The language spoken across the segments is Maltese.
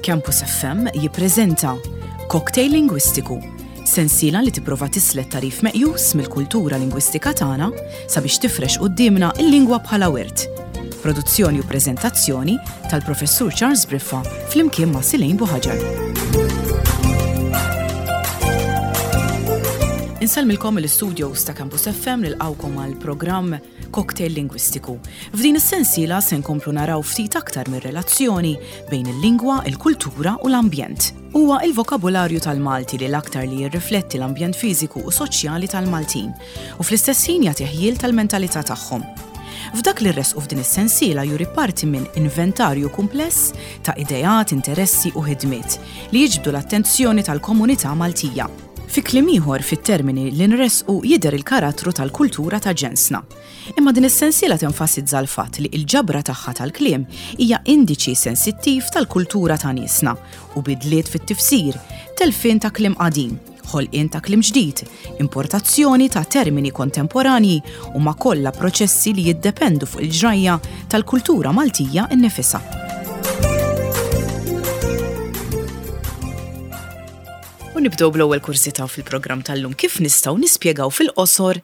Campus FM jippreżenta Cocktail Lingwistiku, sensiela li tipprova tislet tagħrif meqjus mill-kultura lingwistika tagħna sabiex tifrex quddiemna l-lingwa bħala wirt. Produzzjoni u preżentazzjoni tal-Professur Charles Briffa flimkien ma' Silejn Buħaġar. Insellmilkom mill-istudios ta' Campus FM nilqgħukom għal programm Cocktail Lingwistiku. F'din is-sensiela se nkomplu naraw ftit aktar mir-relazzjoni bejn il-lingwa, il-kultura u l-ambjent. Huwa il-vokabularju tal-Malti li l-aktar li jirrifletti l-ambjent fiżiku u soċjali tal-Maltin u fl-istess ħin jagħti ħjiel tal-mentalità tagħhom. F'dak li rresqu f'din is-sensiela juri parti minn inventarju kumpless ta' ideat, interessi u ħidmiet li jiġbdu l-attenzjoni tal-komunità Maltija. Fi kliem ieħor, fit-termini li nressqu jidher il-karattru tal-kultura ta' ġensna. Imma din is-sensiela tenfasizza l-fatt li l-ġabra tagħha tal-kliem hija indiċi sensittiv tal-kultura ta' niesna u bidliet fit-tifsir, telfien ta' kliem qadim, ħolqien ta' kliem ġdid, importazzjoni ta' termini kontemporanji huma kollha proċessi li jiddependu fuq il-ġrajja tal-kultura Maltija nnifisha. U nibdew bl-ewwel kurżità fil-programm tal-lum. Kif nistgħu nispjegaw fil-qosor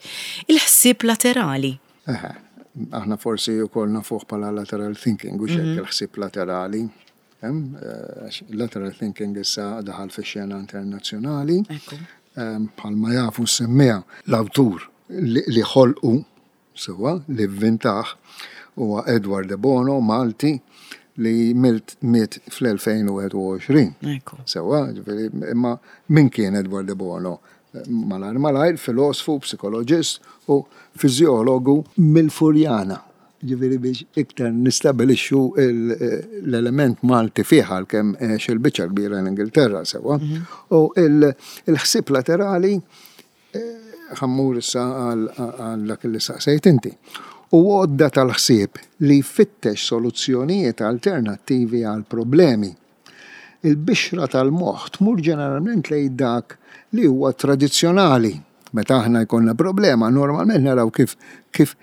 il-ħsieb laterali? Eħe, aħna forsi wkoll nafuh bħala lateral thinking, hux hekk il-ħsieb laterali. Lateral thinking issa daħal fix-xena internazzjonali. Bħalma jafu s-semmiegħa l-awtur li ħolqu sewwa li vvintah huwa Edward de Bono, Malti, li milt miet fl-2021. Sewwa, ġifieri, imma min kien Edward de Bono? Malajr malajr, filosfu, psikoloġist u fiżjologu mill-Furjana. Ġifieri biex iktar nistabilixxu l-element Malti fih għalkemm għex il-biċċa l-kbira l-Ingilterra sewwa. U l-ħsieb laterali Ħa mmur issa għal dak li saqsejt inti. Hu għodda tal-ħsieb li jfittex soluzzjonijiet alternattivi għal problemi. Il-bixra tal-moħħ tmur ġeneralment lejn dak li huwa tradizzjonali. Meta aħna jkollna problema, normalment naraw kif kif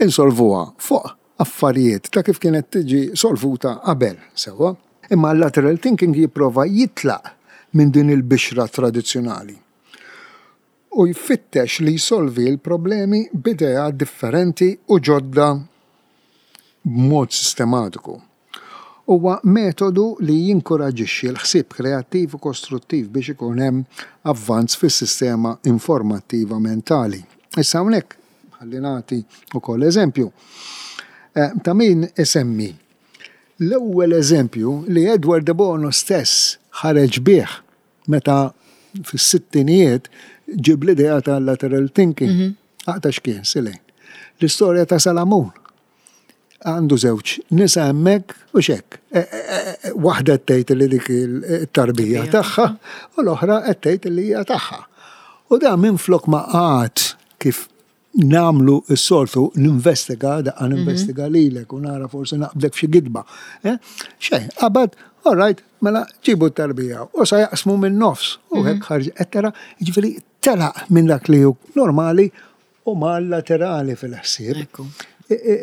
insolvuha fuq affarijiet ta' kif kienet tiġi solvuta qabel, sewwa? Imma l-lateral thinking jipprova jitlaq minn din il-bixra tradizzjonali. U jfittex li jsolvi l-problemi b'ideat differenti u ġodda b'mod sistematiku. Huwa metodu li jinkuraġġixxi l-ħsieb kreattiv u kostruttiv biex ikun hemm avvanz fis-sistema informattiva mentali. Issa hawnhekk ħalli nagħti wkoll eżempju. Ta' min isemmi l-ewwel eżempju li Edward de Bono stess ħareġ bih Meta fis-sittinijiet ġib l-idea ta' lateral thinking. Mhm. Aqta x'kien, Silejn. L-istorja ta' Salamun. Għandu żewġ nisa hemmhekk u xek. E, e, e, waħda qed tgħid li dik it-tarbija tagħha u l-oħra qed tgħid li hija tagħha. U da minflok ma qagħad kif nagħmlu s-soltu ninvestiga, daqqa mhm. ninvestiga lilek u nara forsi naqbdek f'xi gidba. Eh? Xejn, qabad, all right, mela ġibu t-tarbija u sa jaqsmu minn nofs u mhm. hekk ħarġ qed tara, jiġifieri telaq minn dak li hu normali u ma laterali fil-ħsieb.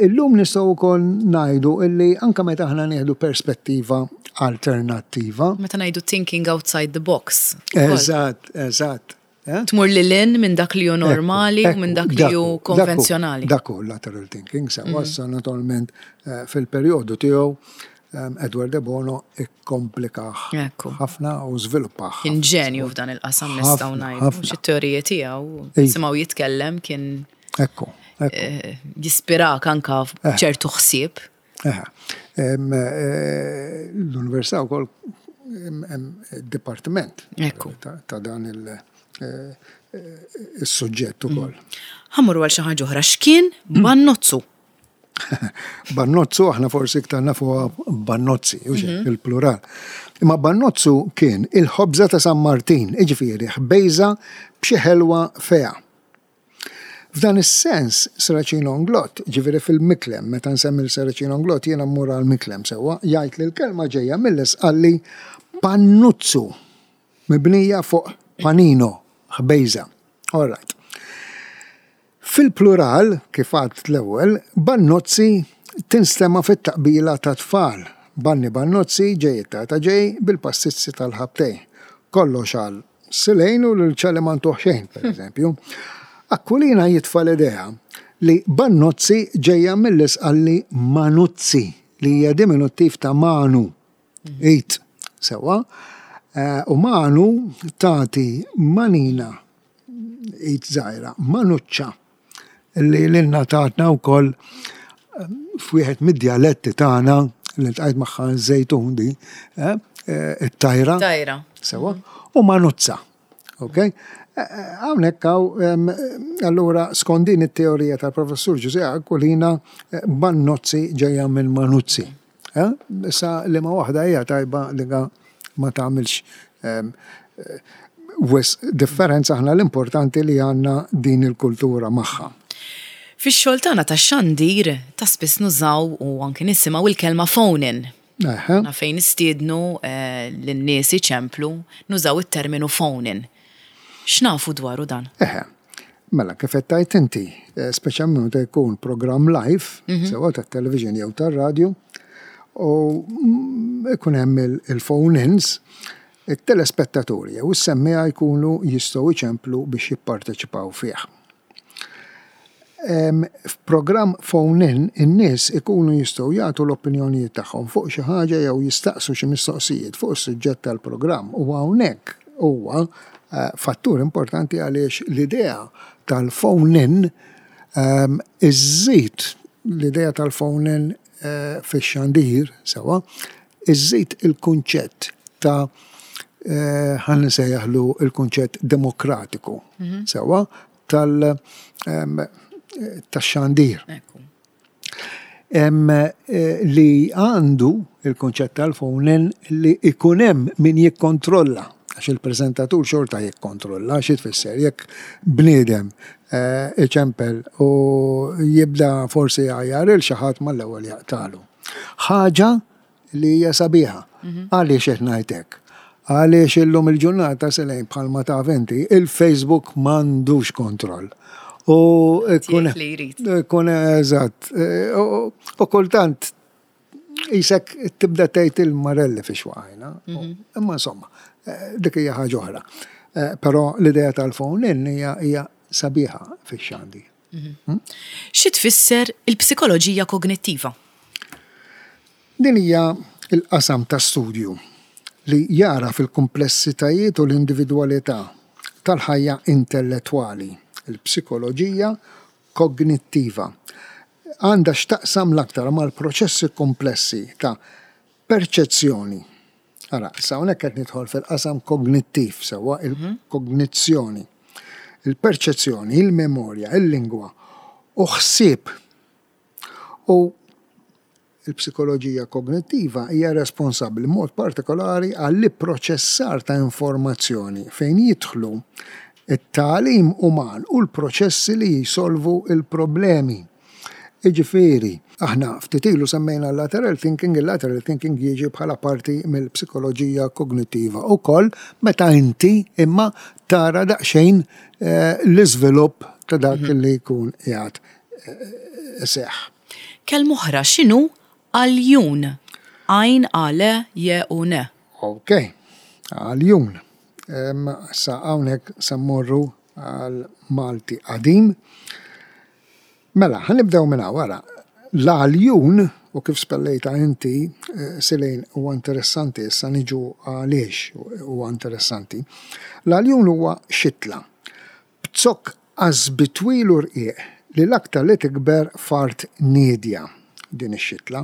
Illum nistgħu wkoll ngħidu illi anke meta aħna nieħdu perspettiva alternattiva. Meta ngħidu thinking outside the box. Eżatt, eżatt. Eh? Tmur lil hinn minn dak li hu normali u minn dak li hu konvenzjonali. Dak hu lateral thinking, sewa mhm. issa naturalment eh, fil-perjodu tiegħu eh, Edward de Bono ikkomplikah ħafna u żviluppah. Kien ġenju f'dan il-qasam nistgħu ngħidu. Xi teoriji tiegħu simgħu jitkellem kien Ekku. Jispirak anka ċertu ħsieb. L-università wkoll hemm dipartiment ta' dan il-suġġett ukoll. Ħa mmorru għal xi ħaġa oħra. X'kien bannozzu? Bannozzu aħna forsi iktar nafuha bannozzi, u mhm. il-plural. Imma bannozzu kien il-ħobża ta' San Martin, jiġifieri ħbejża b'xi ħelwa feha. F'dan is-sens, Serracino Inglott, jiġifieri fil-Miklem, meta nsemmi 'l Serracino Inglott jiena mmur għall-Miklem sewwa, jgħid li l-kelma ġejja mill-Isqalli pannuzzu, mibnija fuq panino, ħbejża. All right. Fil-plural, kif għedt l-ewwel, bannozzi Tinstema' fit-taqbila tat-tfal, Banni Bannozzi ġej it-tata ġej bil-pastizzi tal-ħabtej. Kollox għal Silejn u lil Ċali ma ntuh xejn, pereżempju. Aquilina jitfa' l-idea li Bannozzi ġejja mill-Isqalli Manuzzi li hija diminuttiv ta' manu, id, sewwa, u manu tagħti manina, id żgħira, manuċċa. li lilna tatna wkoll f'wieħed mid-djaletti tagħna li ltqajt magħha ż-Żejtun di, eh, eh, it-tajra. Tajra. Sewa, u manuzza. Ok? Eh, hawnhekk hawn allura skont din it-teorija tal-professur Ġużè Aquilina Bannozzi ġejja minn Manuzzi. Issa liema waħda hija tajba li ma tagħmilx wisq differenza aħna l-importanti li għandna din il-kultura magħha. Fix-xogħol tagħna tax-xandir ta' spiss nużaw u anki nisimgħu il-kelma phone-in. Aħna fejn nistiednu lin-nies iċemplu nużaw it-terminu phone-in. X'nafu dwaru dan? Eħe. Mela, kif qed tgħid inti, eh, speċjalment meta jkun programm live, mhm. sewa tat-television jew tar-radju, u mm, ikun hemm il-phone-ins, it-telespettaturi jew is-semmiegħa jkunu jistgħu jċemplu biex jipparteċipaw fih. F'programm phone-in, in-nies ikunu jistgħu jagħtu l-opinjonijiet tagħhom fuq xi ħaġa jew jistaqsu xi mistoqsijiet fuq is-suġġett tal-programm u hawnhekk huwa fattur importanti għaliex l-idea tal-phone-in iżżid l-idea tal-phone-in fix-xandir sewwa, iżżid il-kunċett ta' ħa nsejjaħlu l-kunċett demokratiku sewwa tal tax-xandir. Li għandu il-kunċett tal-phone-in li ikun hemm min jikkontrolla għax il-preżentatur xorta jikkontrolla, xi tfisser jekk bniedem iċempel u jibda forsi jgħajjar 'il xi ħadd mal-ewwel jaqtagħlu. Ħaġa li hija sabiħa. Mhm. Għaliex qed ngħid hekk? Għaliex illum il-ġurnata selejn bħalma taf inti, il-Facebook m'għandux kontroll. U ikun ikun eżatt. U kultant jisek tibda tgħid il-marelli fiex waqajna. Mhm. Imma insomma, eh, dik hija ħaġa oħra. Eh, però l-idea tal-phone in hija sabiħa fix-xandi. Mhm. Hmm? Xi tfisser il-psikoloġija kognittiva? Din hija l-qasam ta' studju li jagħraf il-kumplessitajiet u l-individwalità tal-ħajja intellettwali, il-psikoloġija kognittiva għandha x'taqsam l-aktar mal-proċessi kumplessi ta' perċezzjoni. Ara, issa hawnhekk qed nidħol fil-qasam kognittiv sewwa, il-kognizzjoni, il-perċezzjoni, il-memorja, il-lingwa u ħsieb. U l-psikoloġija kognittiva hija responsabbli b'mod partikolari għall-ipproċessar ta' informazzjoni fejn jidħlu t-tagħlim uman u l-proċessi li jsolvu l-problemi. Jiġifieri, aħna ftit ilu semmejna l-lateral thinking, il-lateral thinking jiġi bħala parti mill-psikoloġija kognittiva wkoll meta inti imma tara daqsxejn eh, l-iżvilupp ta' dak mhm. li jkun qiegħed eh, iseħħ. Kelma oħra x'inhu għaljun? Għajn A L J U N. Ok, għaljun. Sa hawnhekk se mmorru għal Malti qadim. Mela, ħa nibdew minn hawn, ara. L-għaljun, u kif spellejtha inti, Silejn, huwa interessanti, issa niġu għaliex huwa interessanti. L-għaljun huwa xitla b'zokk qasbi twil u rqiq li l-aktar li tikber f'art niedja, din ix-xitla.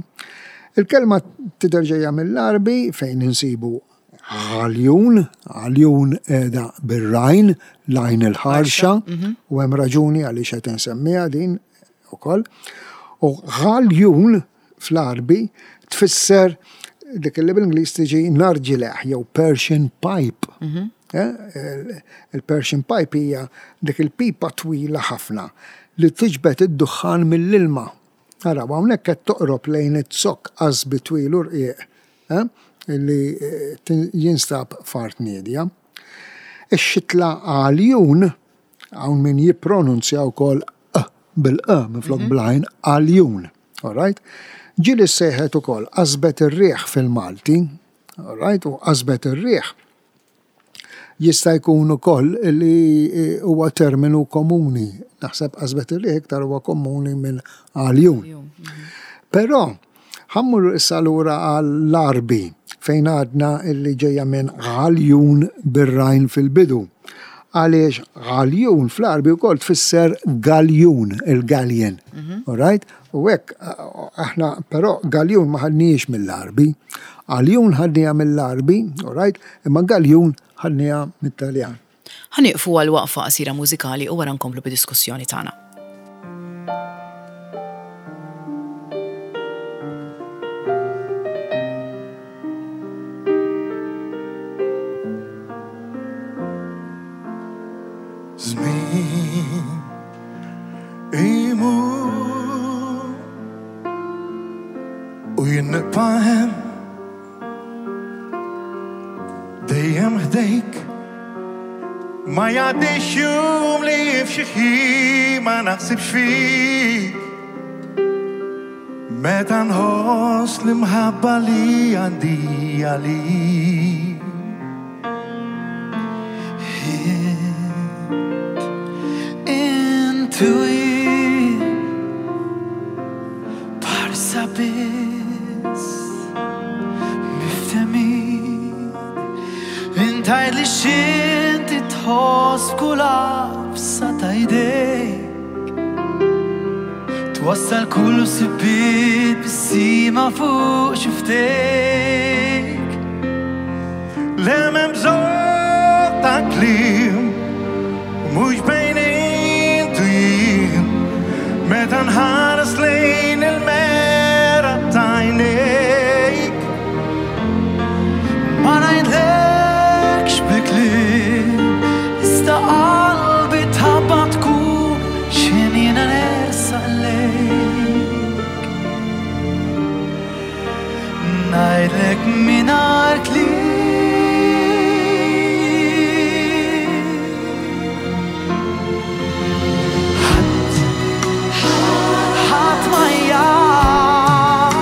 Il-kelma tidher ġejja mill-Għarbi fejn insibu Għaljun, għaljun qiegħda bir-rajn, l-għajn il-ħarxa, mhm. u hemm raġuni għaliex qed insemmiha din ukoll. U għaljun fl-Għarbi tfisser dik li bil-Ingliż tiġi narġileħ jew Persian pipe. Mhm. Eh, il-Persian pipe hija dik il-pipa twila ħafna li tiġbed id-duħħan mill-ilma. Araw, hawnhekk qed toqrob lejn iz-zokk qasbi twil u rqiq li jinstab f'art niedja. Ix-xitla għaljun, hawn min jippronunzja wkoll q bil-q minflok bl-għajn, għaljun. All right? Ġieli ssejħet ukoll qasbet ir-riħ fil-Malti, all right? U qasbet ir-riħ jista' jkun ukoll li huwa terminu komuni. Naħseb qasbet ir-riħ iktar huwa komuni minn għaljun. Mhm. Però ħammur issa lura għall-Arbi fejn għadna illi ġejja minn għaljun bir-rajn fil-bidu. Għaliex għaljun fl-Arbi wkoll tfisser galjun, il-galjen. Mhm. All right? U hekk aħna però galjun ma ħadnijiex mill-Għarbi. Għaljun ħadniha mill-Għarbi, all right, imma galjun ħadniha mit-Taljan. Ħa nieqfu għal waqfa qasira mużikali u wara nkomplu bid-diskussjoni tagħna. Żmien Imur u jien nibqa' hemm dejjem ħdejk. Ma jgħaddix jum li f'xi ħin ma naħsibx fik. Meta nħoss l-imħabba li għandi għalik. Twassal kull sibit bis-sima fuq xiftejk. Le m'hemm bżonn ta' kliem, mhux bejn int u jien, meta nħares lejn il-mera ta' għajnejk. Ma ngħidlekx bi kliem, iżda qalbi tħabbat tkun x'ħin jiena nersaq lejk. Ngħidlek mingħajr kliem. Ħadd, ħadd ma jaf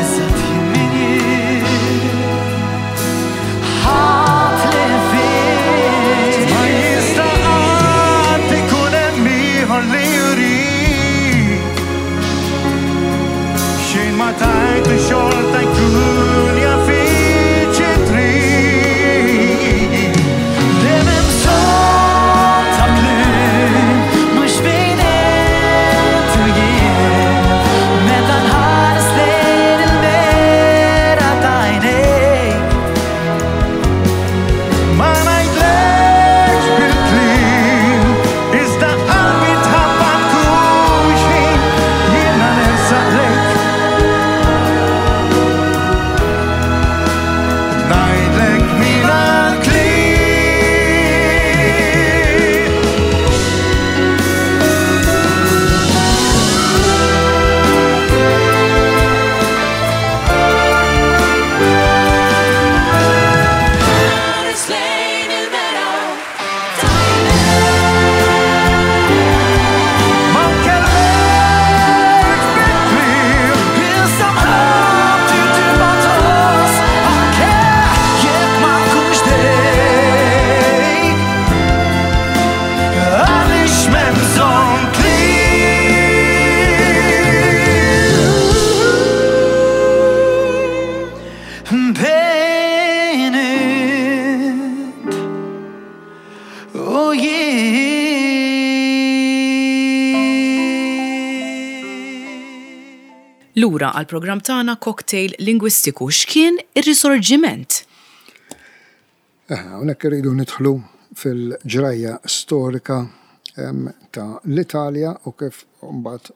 eżatt jien min jien. Ħadd li fih. Ma jista' qatt ikun hemm ieħor li jurik. Xejn ma tajt li xorta jkun jaf xi trid. Dejjem hemm bżonn ta' kliem, mhux bejn int u jien. Meta nħares lejn il-mera ta' għajnejk. Ma ngħidlekx bil-kliem, iżda qalbi tħabbat kull xħin jiena nersaq lejk. Ngħidlek mingħajr kliem. Ħares lejn il-mera ta' Ma nkellmekx bil-kliem, Iżda mħabbti tibqa' tħoss anke jekk ma nkunx ħdejk. għaliex m'hemm bżonn kliem. Bejn int u jien. Lura għall-programm tagħna Cocktail Lingwistiku, x'kien ir-Risorġiment? Eh, hawnhekk irridu nidħlu fil-ġrajja storika ta' l-Italja u kif mbagħad eh,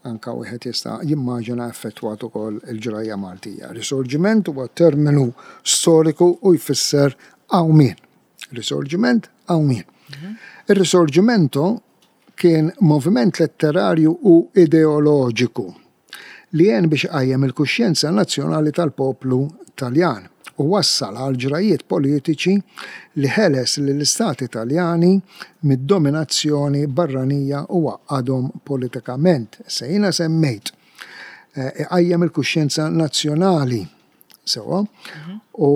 anka wieħed jista' jimmaġina effettwat ukoll il-ġrajja Maltija. Risorġiment huwa terminu storiku u jfisser qawmien. Risorġiment, qawmien. Mhm. Ir-Risorgimento kien moviment letterarju u ideoloġiku. li għen biex iqajjem il-kuxjenza nazzjonali tal-poplu Taljan u wassal għal ġrajjiet politiċi li ħeles lill-istati Taljani mid-dominazzjoni barranija u għaqqadhom politikament. Issa jiena semmejt iqajjem il-kuxjenza nazzjonali sewwa u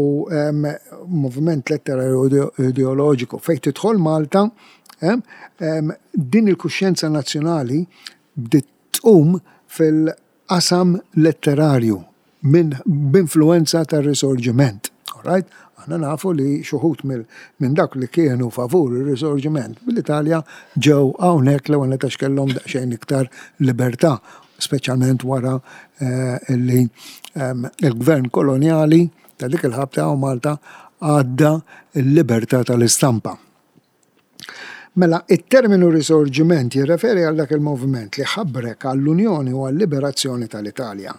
moviment letterarju ideoloġiku fejn tidħol Malta din il-kuxjenza nazzjonali bdiet tqum fil-qasam letterarju minn b'influwenza tar-Risorgiment. Alright? Aħna nafu li xi wħud minn dawk li kienu favur ir-Risorgiment mill-Italja ġew hawnhekk l-ewwel nett għax kellhom daqsxejn iktar libertà, speċjalment wara eh, li ehm, il-gvern kolonjali ta' dik il-ħabta hawn Malta għadda l-libertà tal-istampa. Mela, it-terminu Risorgiment jirreferi għal dak il-moviment li ħabrek għall-unjoni u għal-liberazzjoni tal-Italja.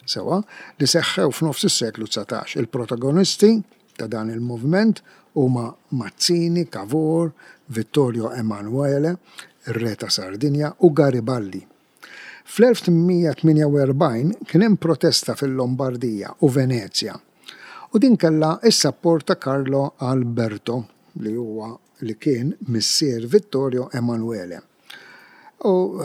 Sewwa, li seħħew f'nofs is-seklu 19. Il-protagonisti ta' dan il-moviment huma Mazzini, Cavour, Vittorio Emanuele, ir-Re ta' Sardinja, u Garibaldi. Fl-1848 kien hemm protesta fil-Lombardija u Venezja u din kellha s-sapport ta' Carlo Alberto li huwa li kien missier Vittorio Emanuele. U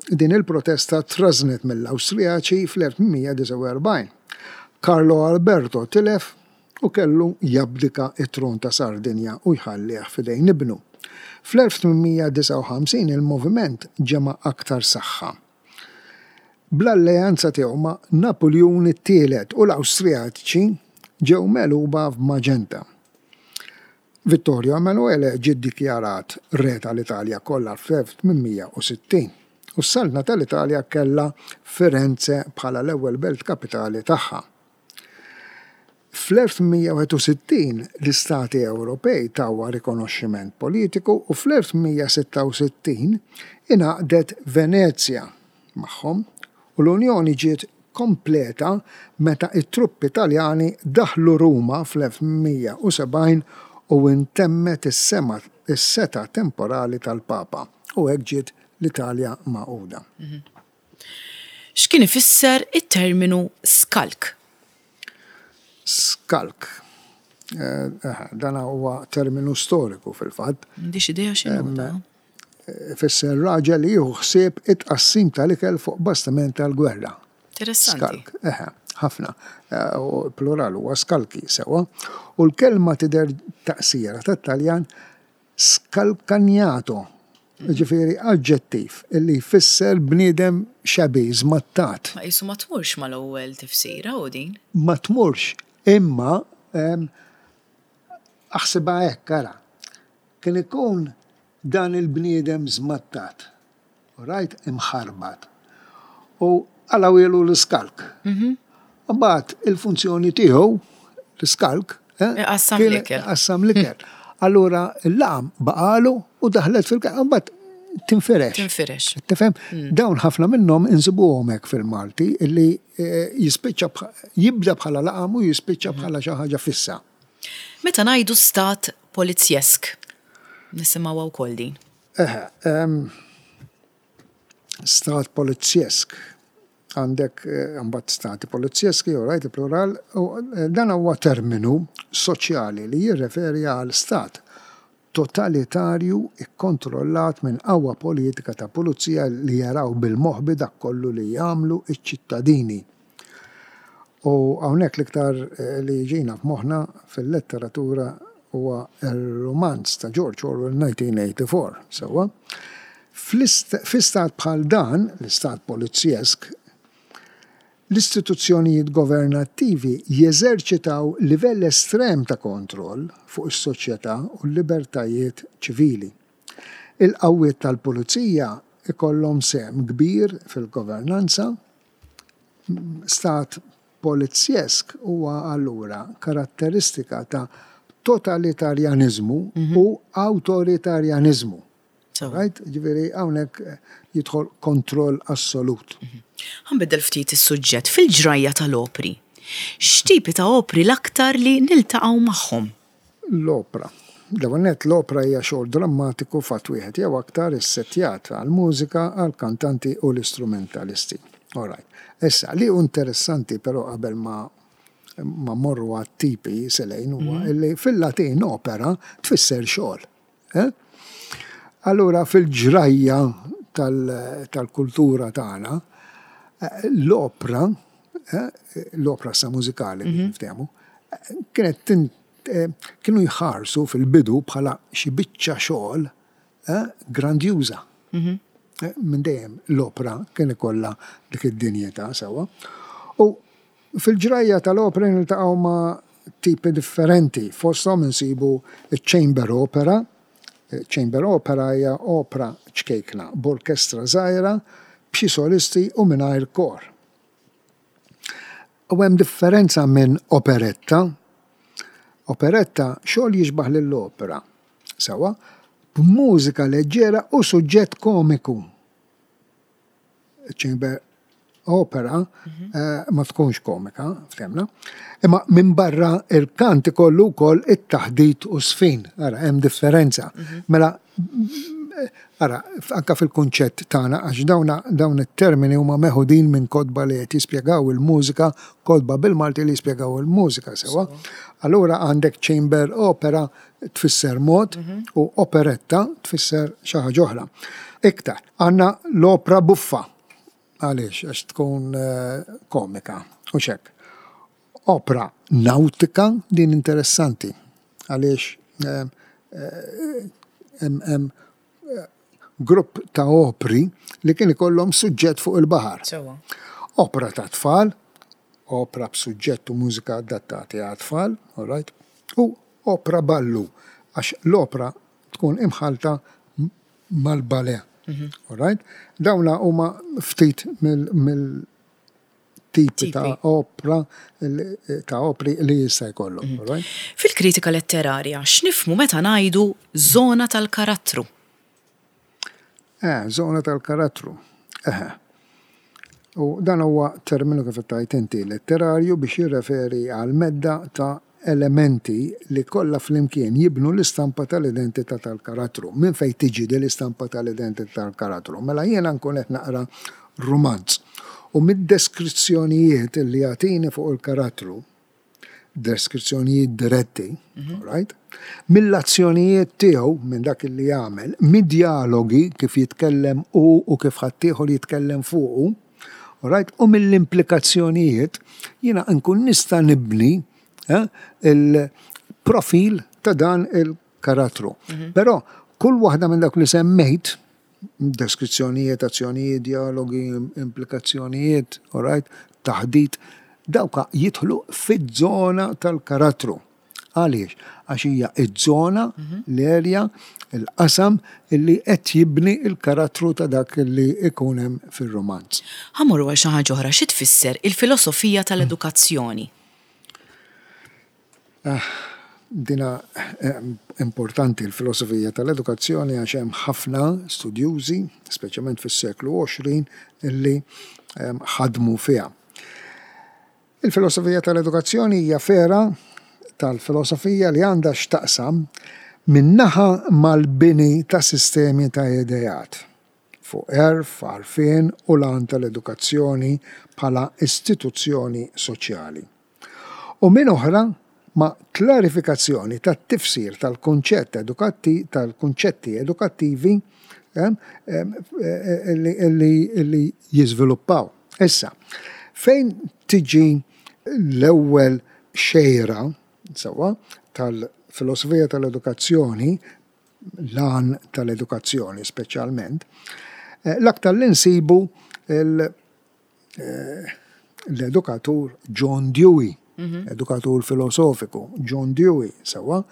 din il-protesta trażżnet mill-Awstrijaċi fl-1849. Carlo Alberto tilef u kellu jabdika t-tron ta' Sardinja u jħallih f'idejn ibnu. Fl-1859 il-moviment ġema' aktar saħħa. Bl-alleanza tiegħu ma' Napuljun it-Tielet u l-Awstrijaċi ġew megħluba f'Magenta. Vittorio Emanuele ġie ddikjarat Re tal-Italja kollha fl-1860 u s-Saltna tal-Italja kellha Firenze bħala l-ewwel belt kapitali tagħha. Fl-1861 l-istati Ewropej tawha rikonoxximent politiku u fl-1866 ingħaqdet Venezja magħhom u l-unjoni ġiet kompleta meta t-truppi Taljani daħlu Ruma fl-1870 u intemmet is-setgħa temporali tal-Papa u hekk ġiet l-Italja magħquda. X'kien ifisser it-terminu skalk? Skalk. Dan huwa terminu storiku fil-fatt. M'għandix idea x'inhu dan. Ifisser raġel li jieħu ħsieb it-tqassim tal-ikel fuq bastiment tal-gwerra. Interessanti. Skalk, eħe, ħafna. Plural huwa skalki sewwa. U l-kelma tidher taqsira tat-Taljan Scalcagnato, jiġifieri aġġettiv li jfisser bniedem shabby, żmattat. Ma qisu ma tmurx mal-ewwel tifsira hu din. Ma tmurx, imma aħsibha hekk, ara. Kien ikun dan il-bniedem żmattat. Rajt imħarbat. U qalgħuhielu l-iskalk. Imbagħad il-funzjoni tiegħu, l-iskalk, Iqassam l-ikel. Iqassam l-ikel. Allura l-laqam baqalu u daħlet fil-kelma. Imbagħad tinfirex. Tinfirex. Tifhem? Dawn ħafna minnhom insibuhom hekk fil-Malti illi jispiċċa jibda bħala laqam u jispiċċa bħala xi ħaġa fissa. Meta ngħidu stat polizjesk, nisimgħuha wkoll din. Eħe, stat polizjesk. Għandek imbagħad stati polizjeski, all right, il-plural, u dan huwa terminu soċjali li jirreferi għal stat totalitarju kkontrollat minn qawwa politika ta' pulizija li jaraw bil-moħbi dak kollu li jagħmlu ċ-ċittadini. U hawnhekk l-iktar li jiġina f'moħħna fil-letteratura huwa r-rumanz ta' George Orwell 1984, sewwa? Fi stat bħal dan, l-istat polizjesk, l-istituzzjonijiet governattivi jeżerċitaw livell estrem ta' kontroll fuq is-soċjetà u l-libertajiet ċivili. Il-qawwiet tal-pulizija jkollhom sehem kbir fil-governanza, Stat polizjesk huwa allura karatteristika ta' totalitarjaniżmu u awtoritarjaniżmu. Right? Ġifieri hawnhekk jidħol kontroll assolut. Ħa nbiddel ftit is-suġġett. Fil-ġrajja tal-opri, x'tipi ta' opri l-aktar li niltaqgħu magħhom? L-opra. L-ewwel nett, l-opra hija xogħol drammatiku f'att wieħed jew aktar issettjat għall-mużika, għall-kantanti u l-istrumentalisti. All right. Issa, li hu interessanti però qabel ma ma mmorru għat-tipi Selejn huwa mhm. li fil-Latin opera tfisser xogħol. Eh? Allura fil-ġrajja tal-kultura tagħna, eh, l-opra, eh, l-opra sa mużikali biex mhm. niftehmu, kienet kienu jħarsu fil-bidu bħala xi biċċa xogħol grandjuża. Mhm. Minn dejjem l-opra kien ikollha dik id-dinjità sewwa. U fil-ġrajja tal-opra niltaqgħu ma' tipi differenti, fosthom insibu ċ-chamber opera. Chamber opera hija opra ċkejkna b'orkestra żgħira, b'xi solisti u mingħajr kor. U hemm differenza minn operetta. Operetta xogħol jixbah lill-opera, sewwa, b'mużika leġġera u suġġett komiku. Chamber opera mhm. eh, ma tkunx komika, ftemna. Imma minn barra il-kant ikollu wkoll it-taħdit u sfin. Ara, hemm differenza. Mhm. Mela Ara, anka fil-kunċett tagħna, għax dawna dawn it-termini huma meħudin minn kotba li qed jispjegaw il-mużika, kotba bil-Malti li jispjegaw il-mużika sewwa. Allura għandek chamber opera tfisser mod mhm. u operetta tfisser xi ħaġa oħra. Iktar, għandna l-opra buffa. Għaliex? Għax tkun eh, komika u xek. Opra nautika din interessanti għaliex hemm grupp ta' opri li kien ikollhom suġġett fuq il-baħar. Opra ta' tfal, opra b'suġġett u mużika adattati għat-tfal, all right, u opra ballu, għax l-opra tkun imħallta mal-ballet. Mhm. All right? Dawna huma ftit mill tipi ta' opra ta' opri li jista' jkollok. Mhm. Fil-kritika letterarja, x'nifhmu meta ngħidu żona tal-karattru? Eh, żona tal-karattru. Eh. U dan huwa terminu kif tajt inti letterarju biex jirreferi għal medda ta' elementi li kollha flimkien jibnu l-istampa tal-identità tal-karattru. Minn fejn tiġi din l-istampa tal-identità tal-karattru? Mela jiena nkun qed naqra rumanz u mid-deskrizzjonijiet li jagħtini fuq il-karattru, deskrizzjonijiet diretti, mhm. right? Mill-azzjonijiet tiegħu minn dak li jagħmel, mid-djalogi kif jitkellem hu u kif ħaddieħor jitkellem fuqu, right? U mill-implikazzjonijiet jiena nkun nista' nibni eh, il-profil ta' dan il-karattru. Mhm. Però kull waħda minn dak li semmejt, deskrizzjonijiet, azzjonijiet, dialogi, implikazzjonijiet, all right, taħdit, dawka jidħlu fiż-żona tal-karattru. Għaliex? Għax hija iż-żona, mhm. l-erja, il-qasam illi qed jibni il-karattru ta' dak li ikun hemm fir-rumanz. Ħa mmorru għal xi ħaġa oħra, xi tfisser il-filosofija tal-edukazzjoni? Ah, dina eh, importanti l-filosofija tal-edukazzjoni għax hemm ħafna studjużi, speċjalment fis-seklu 20, illi eh, ħadmu fiha. Il-filosofija tal-edukazzjoni hija fergħa tal-filosofija li għandha x'taqsam minn naħa mal-bini ta' sistemi ta' ideat fuq għerf, għarfien u l-għan tal-edukazzjoni bħala istituzzjoni soċjali. U minn oħra ma' klarifikazzjoni tat-tifsir tal-kunċett tal-kunċetti edukattivi li jiżviluppaw. Issa, fejn tiġi l-ewwel xejra, sewwa, tal-filosofija tal-edukazzjoni, l-għan tal-edukazzjoni speċjalment, eh, l-aktar li nsibu eh, l-edukatur John Dewey, mhm. edukatur filosofiku John Dewey, sewwa,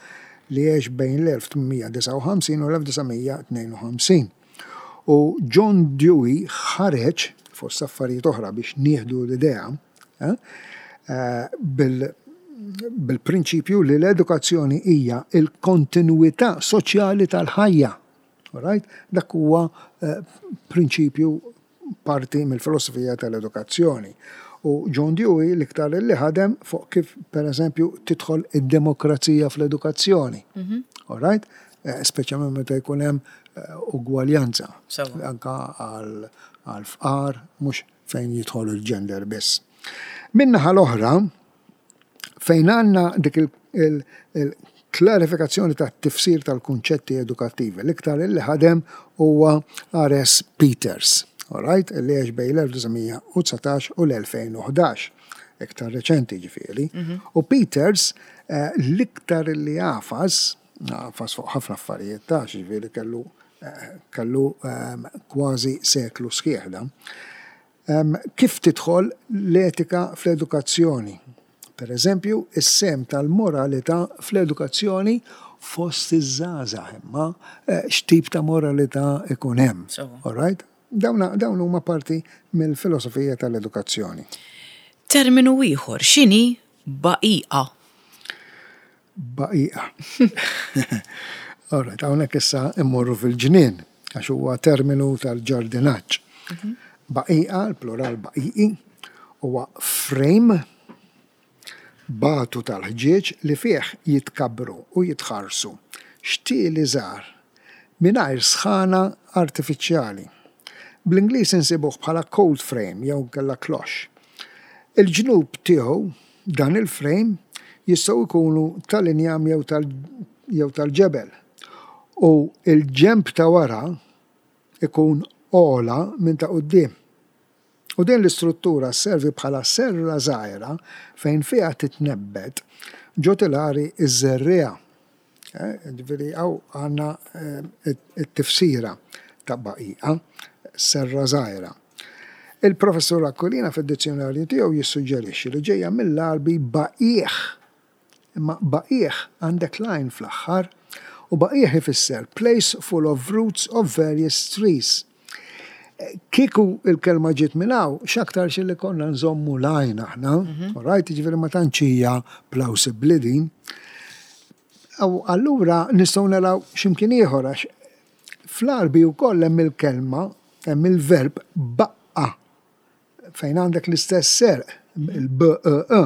li għex bejn l-1859 u l-1952. U John Dewey ħareġ, fost affarijiet oħra biex nieħdu l-idea, eh, eh, bil-prinċipju li l-edukazzjoni hija il-kontinwità soċjali tal-ħajja. Right? Dak huwa eh, prinċipju parti mill-filosofija tal-edukazzjoni. U John Dewey l-iktar li ħadem fuq kif pereżempju tidħol id-demokrazija fl-edukazzjoni. Mhm. All right? Eh, speċjalment meta jkun hemm eh, ugwaljanza. Anka għal fqar, mhux fejn jidħol il-gender biss. Min-naħa l-oħra, fejn għandna dik il-klarifikazzjoni tat-tifsir tal-kunċetti edukattivi, l-iktar illi ħadem huwa R.S. Peters, all right, illi għex bejn l-1919 u l-2011, iktar reċenti ġifieri. U Peters l-iktar illi għafas, għafas fuq ħafna affarijiet ta' ġifieri kellu kellu kważi seklu sħiħ dan. Kif tidħol l-etika fl-edukazzjoni? Per eżempju, is-sehem tal-moralità fl-edukazzjoni fost iż-żgħażagħ imma eh, x'tip ta' moralità ikun hemm. All right? Dawn huma parti mill-filosofija tal-edukazzjoni. Terminu ieħor x'inhi baqiqa? Baqiqa. All right, hawnhekk issa immorru fil-ġnien għax huwa terminu tal-ġardinaġġ. Mhm. Baqiqa, il-plural baqiqi, huwa frame batu tal-ħġieġ li fih jitkabbru u jitħarsu xtieli żgħar mingħajr sħana artifiċjali. Bl-Ingliż insibuh bħala cold frame jew inkella cloche. Il-ġnub tiegħu, dan il-frame, jistgħu jkunu tal-injam jew jew tal-ġebel u l-ġenb ta' wara jkun ogħla minn ta' quddiem. U din l-istruttura sservi bħala serra żgħira fejn fiha titnebbet ġo tilari ż-żerriegħa. Ġifieri hawn għandna t-tifsira ta' baqiqa, serra żgħira. Il-Professur Aquilina fid-dizzjunarju tiegħu jissuġġerixxi li ġejja mill-Għarbi baqiegħ. Imma baqiegħ għandek l-għajn fl-aħħar u baqiegħ ifisser place full of roots of various trees. Kieku il-kelma ġiet minn hawn, x'aktarx li konna nżommu l-għajn aħna, mhm. all right, jiġifieri ma tantx hija plawsibbli din. U allura nistgħu naraw x'imkien ieħor għax fl-Għarbi wkoll hemm il-kelma, hemm il-verb baqqa fejn għandek l-istess serq, il-B-E-E,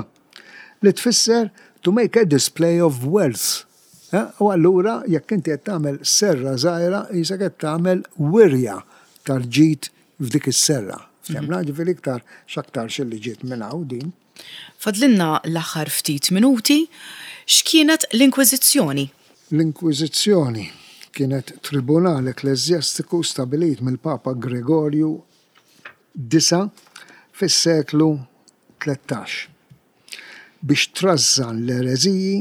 li tfisser to make a display of wealth. Eh, u allura jekk inti qed tagħmel serra żgħira, jisek qed tagħmel wirja tal-ġid f'dik is-serra. Ftemna, mhm. ġifieri iktar x'aktar xilli ġiet minn hawn din. Fadlinna l-aħħar ftit minuti, x'kienet l-Inkwiżizzjoni? L-Inkwiżizzjoni kienet tribunal ekkleżjastiku stabilit mill-Papa Gregorju Disa' fis-seklu 13 biex trażżan l-ereżiji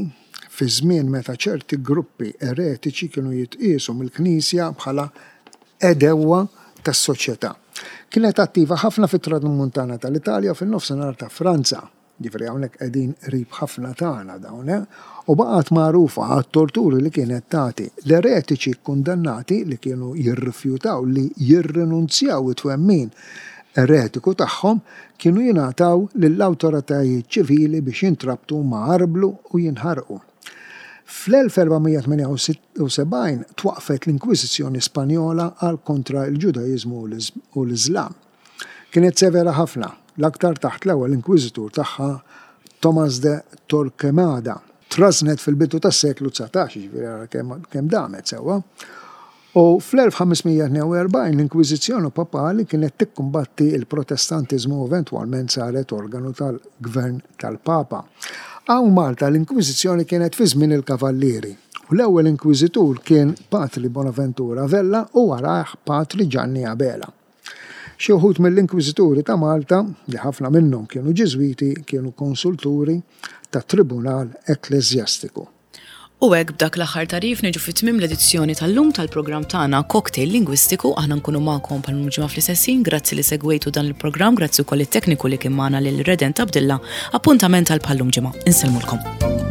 fi żmien meta ċerti gruppi eretiċi kienu jitqiesu mill-Knisja bħala għedewwa tas-soċjetà. Kienet attiva ħafna fit-Tramuntana tal-Italja u fin-Nofsinhar ta' Franza. Jiġifieri hawnhekk qegħdin qrib ħafna tagħna dawn, eh? U baqgħet magħrufa għat-torturi li kienet tagħti. L-eretiċi kkundannati li kienu jirrifjutaw li jirrinunzjaw it-twemmin eretiku tagħhom kienu jingħataw lill-awtoritajiet ċivili biex jintrabtu ma' arblu u jinħarqu. Fl-1478 twaqqfet l-Inkwiżizzjoni Spanjola għal kontra l-Ġudaiżmu u l-Iżlam. Kienet severa ħafna, l-aktar taħt l-ewwel inkwiżitur tagħha Tomás de Torquemada. Trażżnet fil-bidu tas-seklu 19, jiġifieri ara kemm damet sewwa. U fl-1542 l-Inkwiżizzjoni Papali kienet tikkumbatti l-Protestantiżmu u eventwalment saret organu tal-gvern tal-Papa. Hawn Malta l-Inkwiżizzjoni kienet fi żmien il-Kavallieri u l-ewwel inkwiżitur kien Patri Bonaventura Vella u warajh Patri Ġanni Abela. Xi wħud mill-Inkwiżituri ta' Malta, li ħafna minnhom kienu Ġiżwiti, kienu konsulturi tat-Tribunal Ekkleżjastiku. U hekk b'dak l-aħħar tagħrif niġu fi tmiem l-edizzjoni tal-lum tal-programm tagħna Cocktail Lingwistiku. Aħna nkunu magħkom bħal ġimgħa fl-istess ħin. Grazzi li segwejtu dan il-programm, grazzi wkoll it-tekniku li kien magħna lil Redent Abdilla. Appuntament għal bħal-lum ġimgħa. Insellmulkom.